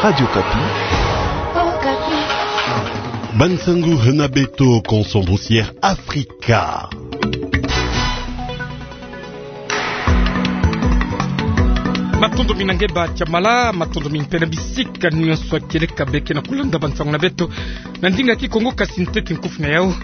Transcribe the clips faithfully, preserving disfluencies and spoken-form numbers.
Radio Okapi. Bansangu hana beto, konso Busière Afrika. Matondo mingi nge ba Tiamala, matondo mingi mpe na bisika nyonso kieleka beke na kulanda bansangu na beto na ndinga Kikongo. Kasi ntete nkufi na yau: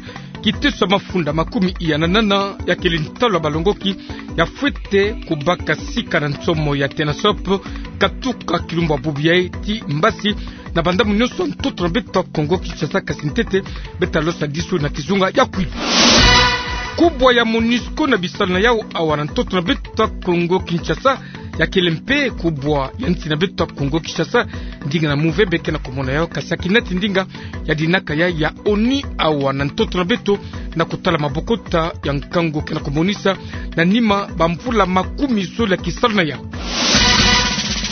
kiteso ya mafunda makumi iya na nana ya kele ntalu ya balongoki ya fwete kubaka sika na nsomo ya TENASSOP, katuka kilumbu ya bubu yai ti mbasi, na bandambu nyonso ya ntoto na beto ya Kongo Kinshasa, kasi ntete beta losa disu na kizunga ya Kwilu. Kubwa ya MONUSCO na bisalu na yau awa na ntoto na beto ya Kongo Kinshasa, ya kele mpe kubwa ya nsi na beto ya Kongo Kinshasa. Ndinga na muve beke na kumona yau, kasi ya kinati ndinga ya dinaka ya, ya ONU awa na ntoto na beto, na kutala mabokota ya nkangu ke na kumonisa na nima bamvula makumi zole ya kisalu na yau.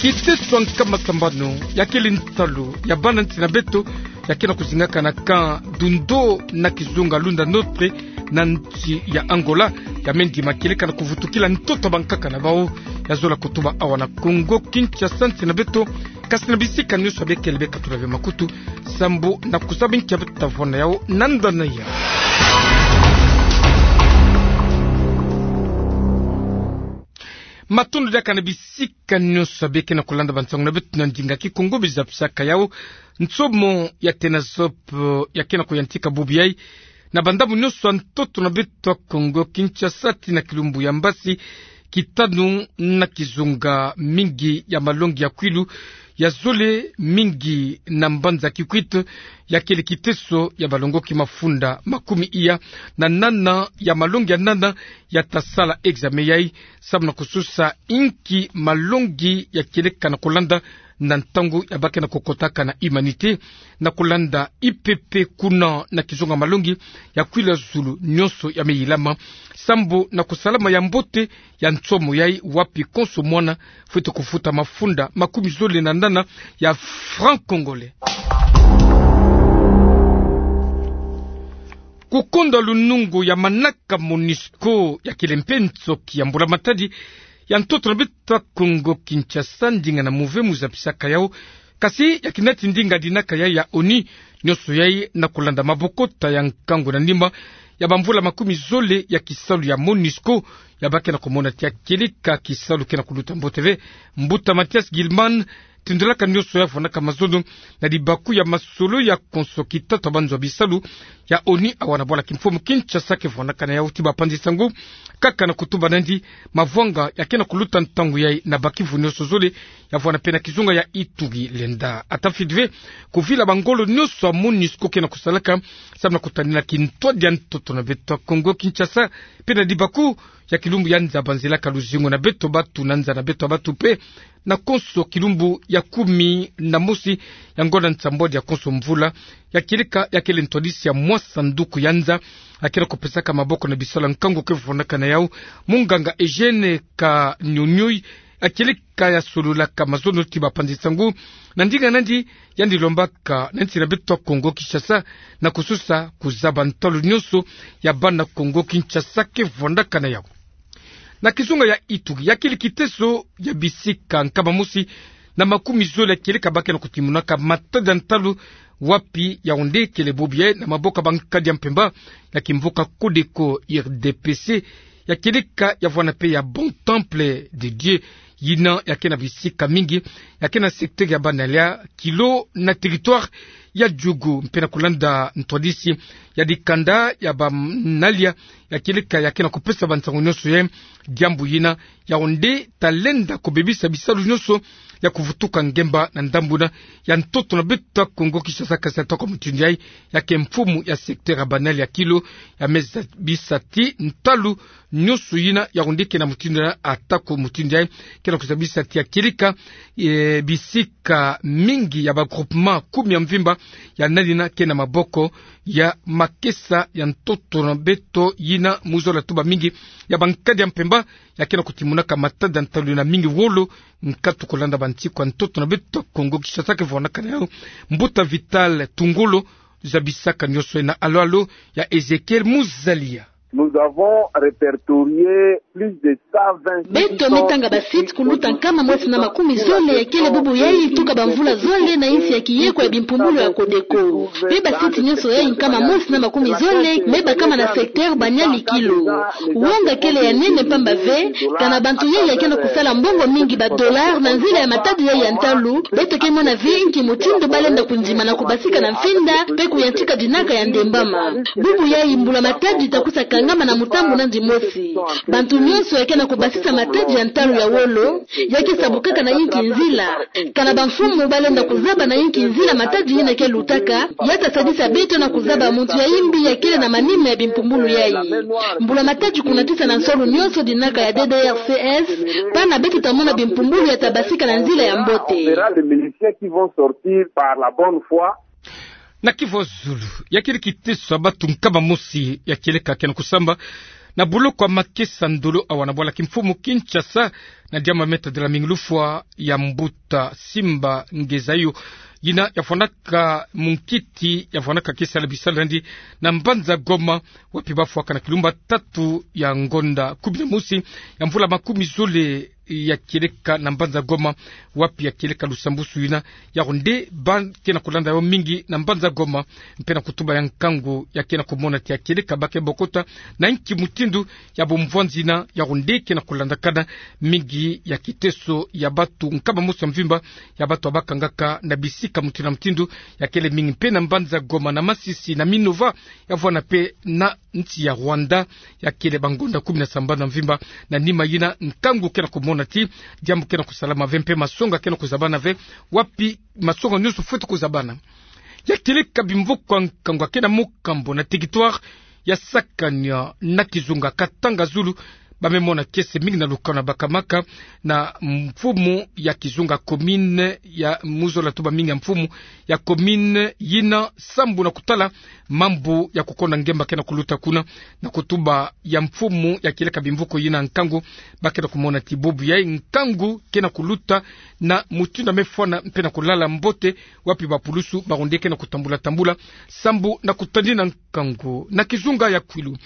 Kiteso ya nkama sambanu ya kele ntalu ya bana nsi na beto, ya ke na kuzingaka na camp Dundo na kizunga Lunda Norte, na nsi ya Angola, ya me ndima kieleka na kuvutukila ntoto ya bankaka na bau, ya zola kutuba awa na Kongo Kinshasa, nsi na beto, kasi na bisika nyonso ya beke le beka tula ve makutu, sambu na kuzaba nkia beta vwanda yau na nda na yau. Matondo diaka na bisika nyonso ya beke na kulanda bansangu na beto na ndinga Kikongo. Bizapisaka yau, nsomo ya TENASSOP ya ke na kuyantika bubu yai na bandambu nyonso ya ntoto na beto ya Kongo Kinshasa ti na kilumbu ya mbasi, kitanu na kizunga mingi ya malongi ya Kwilu, ya zole mingi na mbanza Kikwit, ya kele kiteso ya balongoki mafunda makumi iya na nana ya malongi ya nana ya ta sala examen yai, sambu na kusosa inki malongi ya kieleka na kulanda na ntangu ya ba ke na kukotaka na humanité, na kulanda I P P kuna na kizunga malongi ya Kwilu ya zulu nyonso ya me yilama, sambu na kusalama ya mbote ya nsomo yai, wapi konso mwana fwete kufuta mafunda makumi zole na nana ya francs congolais. Kukonda lunungu ya manaka MONUSCO ya kele mpe nsoki ya mbula-matadi ya ntoto na beto ya Kongo Kinshasa, ndinga na muve muzapisaka yau, kasi ya kinati ndinga dinaka yai ya ONU, nyonso yai na kulanda mabokota ya nkangu na nima ya bamvula makumi zole ya kisalu ya MONUSCO, ya ba ke na kumona ti ya kieleka kisalu ke na kuluta mbote ve. Mbuta Mathias Gilman tindolaka nyonso ya vwandaka mazono na libaku ya masolo ya konso kitatu ya banzo ya bisalu ya ONU awa na bwala kimfumu Kinshasa ke vwandaka na yau ti bapanzi sango, kaka na kutuba nandi mavwanga ya ke na kuluta ntangu yai na bakivu nyonso zole, ya vwanda mpe na kizunga ya Ituri. Lenda ata fidi ve kuvila bangolo nyonso ya MONUSCO ke na kusalaka, sambu na kutanina kintwadi ya ntoto na beto ya Kongo Kinshasa, mpe na libaku ya kilumbu ya nza banzelaka luzingu na beto batu na nza na beto ya batu mpe, na konso kilumbu ya kumi na mosi ya ngonda nsambwadi ya konso mvula, ya kieleka ya kele ntwadisi ya mwa sanduku ya nza ya ke na kupesaka maboko na bisalu ya nkangu ke vwandaka na yau, munganga Eugène Kanyonyoi, ya kieleka ya sololaka mazono ti bapanzi sango, na ndinga nandi yandi lombaka na nsi na beto ya Kongo Kinshasa na kusosa kuzaba ntalu nyonso ya bana Kongo Kinshasa ke vwandaka na yau. Na kizunga ya Ituri, ya kele kiteso ya bisika nkama mosi na makumi zole ya kieleka ba ke na kutimunaka matada ntalu, wapi Yaoundé kele bobo yai na maboko ya bankadi ya mpemba ya kimvuka Codeco R D P C, ya kieleka ya vwanda mpe ya Bon Temple de Dieu, yina ya ke na bisika mingi, ya ke na secteur ya Banalia, Kilo na territoire ya Djougou, mpe na kulanda ntwadisi ya dikanda ya Banalia, ya kieleka ya ke na kupesa bansango nyonso yai, diambu yina Yaoundé ta lenda kubebisa bisalu nyonso ya kuvutuka ngemba na ndambu yina ya ntoto na beto ya Kongo Kinshasa, kasi ata kwa mutindu yai, ya ke mfumu ya secteur ya Banalia, Kilo, ya me zabisa ti ntalu nyonso yina Yaoundé ke na mutindu yina, ata kwa mutindu yai, ke na kuzabisa ti ya kieleka, e, bisika mingi ya ba groupement kumi ya mvimba ya nani yina ke na maboko ya makesa ya ntoto na beto yina. Mu zola tuba mingi ya bankadi ya mpemba ya ke na kutimunaka matada ntalu yina mingi wolo, nkatu kulanda bansiku ya ntoto na beto ya Kongo Kinshasa ke vwandaka na yau. Mbuta Vital Tungolo zabisaka nyonso yai na alo-alo ya Ezechiel Muzalia. Nous avons répertorié plus de cent vingt. Beto me tanga ba site kuluta nkama mosi na makumi zole ya kele bubu yayi tuka ba mvula zole na insi ya kiyeko ya bimpumbulu ya Codeco. Pe ba site nyonso yayi nkama mosi na makumi zole me bakama na secteur Banyali Kilo. Wonga kele ya nene mpamba ve, kana bantu yayi ya ke na kusala mbongo mingi, ba dollars, na nzila ya matadi yayi ya ntalu. Beto ke mona ve nki mutindu ba lenda kundima na kubasika na mfinda pe kuyantika dinaka ya ndembama. Bubu yayi mbula matadi ta kusa kangama na mutambu nandi mosi. Bantu nyonso ya ke na kubasisa matadi ya ntalu ya wolo, ya ke sabukaka na inki nzila. Kana ba mfumu ba lenda kuzaba na inki nzila matadi yina ke lutaka, ya ta sadisa beto na kuzaba muntu ya imbi ya kele na manima ya bimpumbulu yayi. Mbula matadi kunatisa na nsolo nyonso dinaka ya D D R C S, pana beto ta mona bimpumbulu ya ta basika na nzila ya mbote. On verra les miliciens qui vont sortir par la bonne foi. Na kivu zulu, ya kele kiteso ya batu nkama mosi ya kieleka ke na kusamba na boloko ya makesa ndolo awa na bwala kimfumu Kinshasa, na diambu me tadila mingi lufwa ya mbuta Simba Ngezayo, yina ya fwanaka munkiti, ya fwanaka ke sala bisalu nandi na mbanza Goma, wapi ba fwaka na kilumbu tatu ya ngonda kumi na mosi ya mvula makumi zole ya kieleka na mbanza Goma, wapi ya kieleka lusambusu yina, ya ronde ba ke na kulanda yo mingi na mbanza Goma, mpe na kutuba ya nkangu ya ke na kumona ti ya kieleka ba ke bokota na inki mutindu ya bomvwanzi yina, ya ronde ke na kulandakana mingi ya kiteso ya batu nkama mosi ya mvimba, ya batu ya ba kangaka na bisika mutindu na mutindu, ya kele mingi mpe na mbanza Goma, na Masisi, na Minova, ya vwanda mpe na nsi ya Rwanda, ya kele ba ngonda kumi na sambanu na mvimba. Na nima yina nkangu ke na kumona ti diambu ke na kusalama ve mpe masonga ke na kuzabana ve, wapi masonga nyonso fweti kuzabana. Ya kieleka bimvoko ya nkangu ya ke na mokambo na territoire ya sakani na kizunga Katanga Zulu, ba me mona kiese mingi na lukanu ya bakamaka na mfumu ya kizunga commune ya muzola tuba mingi ya mfumu ya commune yina sambu na kutala mambu ya kukonda ngemba ke na kuluta kuna, na kutuba ya mfumu ya kieleka bimvoko yina nkangu, ba ke na kumona ti bubu yayi nkangu ke na kuluta na mutindu ya me fwana mpe na kulala mbote, wapi ba pulusu ba ronde ke na kutambula tambula sambu na kutandi na nkangu. Na kizunga ya Kwilu,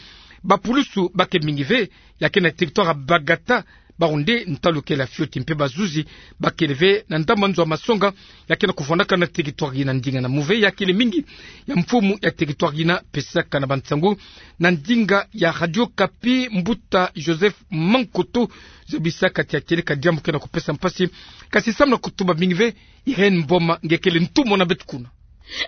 ba pulusu ba ke mingi ve, ya ke na territoire ya Bagata, ba ronde ntalu kele ya fioti mpe ba zuzi ba kele ve na ndambu nzo ya masonga ya ke na kuvwandaka na territoire yina. Ndinga na muve ya kele mingi ya mfumu ya territoire yina pesaka na ba nsangu na ndinga ya Radio Okapi, mbuta Joseph Mankoto, zabisaka ti ya kieleka diambu ke na kupesa mpasi, kasi sambu na kutuba mingi ve, Irène Mboma nge kele ntumwa na beto kuna.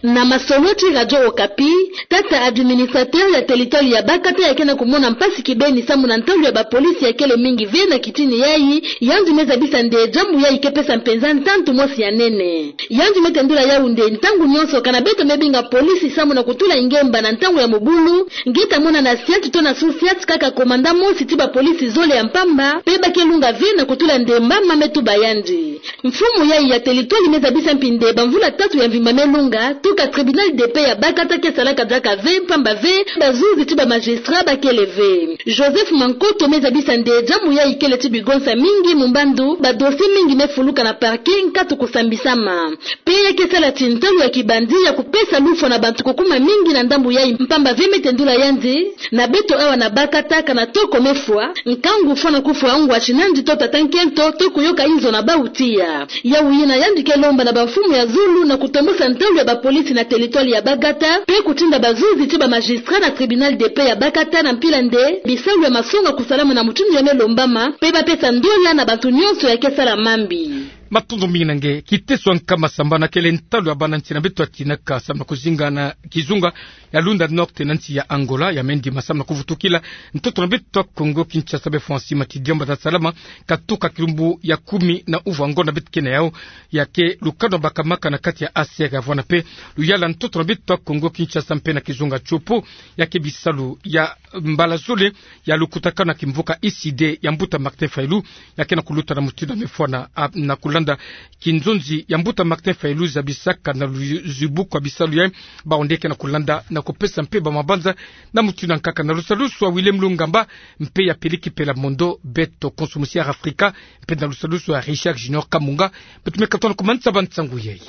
Na masoloti Radio Okapi, tata administrateur ya territoire ya Bakata ya ke na kumona mpasi kibeni sambu na ntalu ya ba polisi ya kele mingi ve na kitini yayi. Yandi me zabisa nde diambu yayi ke pesa mpenza ntantu mosi ya nene. Yandi me tendula yawu nde ntangu nyonso kana beto me binga polisi sambu na kutula ngemba na ntangu ya mobulu, nge ta mona na siat to na sous-siat kaka commandant mosi ti ba polisi zole ya mpamba, mpe ba ke lunga ve na kutula ndembama me tuba yandi. Mfumu yayi ya territoire me zabisa mpi nde ba mvula tatu ya mvimba me lunga, tuka tribunal de paix ya Bakata ke salaka diaka ve, mpamba ve ba zuzi ti ba magistrat ba kele ve. Joseph Mankoto me zabisa nde diambu yayi kele ti bigonsa mingi, mu mbandu ba dossier mingi me fuluka na parquet nkatu kusambisama. Mpe ya ke sala ti ntalu ya kibandi ya kupesa lufwa na bantu kukuma mingi na ndambu yayi, mpamba ve me tendula yandi, na beto awa na Bakata kana toko me fwa, nkangu fwana kufwa ngwa ti nandi to tata nkento to kuyoka inzo na bawu tiya. Yawu yina yandi ke lomba na ba mfumu ya zulu na kutombosa ntalu ya ba polisi na territoire ya Bakata, mpe kutinda ba zuzi ti ba magistrat na tribunal de paix ya Bakata na mpila nde bisalu ya masonga kusalama na mutindu ya me lombama, mpe ba pesa ndola na bantu nyonso ya ke sala mambi. Matondo mingi na nge. Kiteso ya nkama sambanu kele ntalu ya bana nsi na beto ya tinaka sambu na kuzinga na kizunga ya Lunda Norte na nsi ya Angola, ya me ndima sambu na kuvutukila ntoto na beto ya Kongo Kinshasa be fwa nsi ma ti diambu ta salama katuka kilumbu ya kumi na uvu ya ngonda beto ke na yawu, ya ke lukanu ya bakamaka na kati ya A C R ya vwanda mpe luyala ntoto na beto ya Kongo Kinshasa mpe na kizunga Tshopo, ya ke bisalu ya mbala zole ya lukutakanu ya kimvuka I C D ya mbuta Martin Fayulu, ya ke na kuluta na mutindu ya me fwana, a, na kulanda kinzonzi ya mbuta Martin Fayulu zabisaka na lu-, zibuku ya bisalu ya bawu nde ke na kulanda na kupesa mpe ba mabanza na mutindu ya nkaka. Na lusalusu ya Willem Lungamba mpe ya Peliki Pela Mondo, beto konso musi ya Afrika, mpe na lusalusu ya Richard Junior Kamunga, beto me katuka na kumanisa ba nsangu yayi.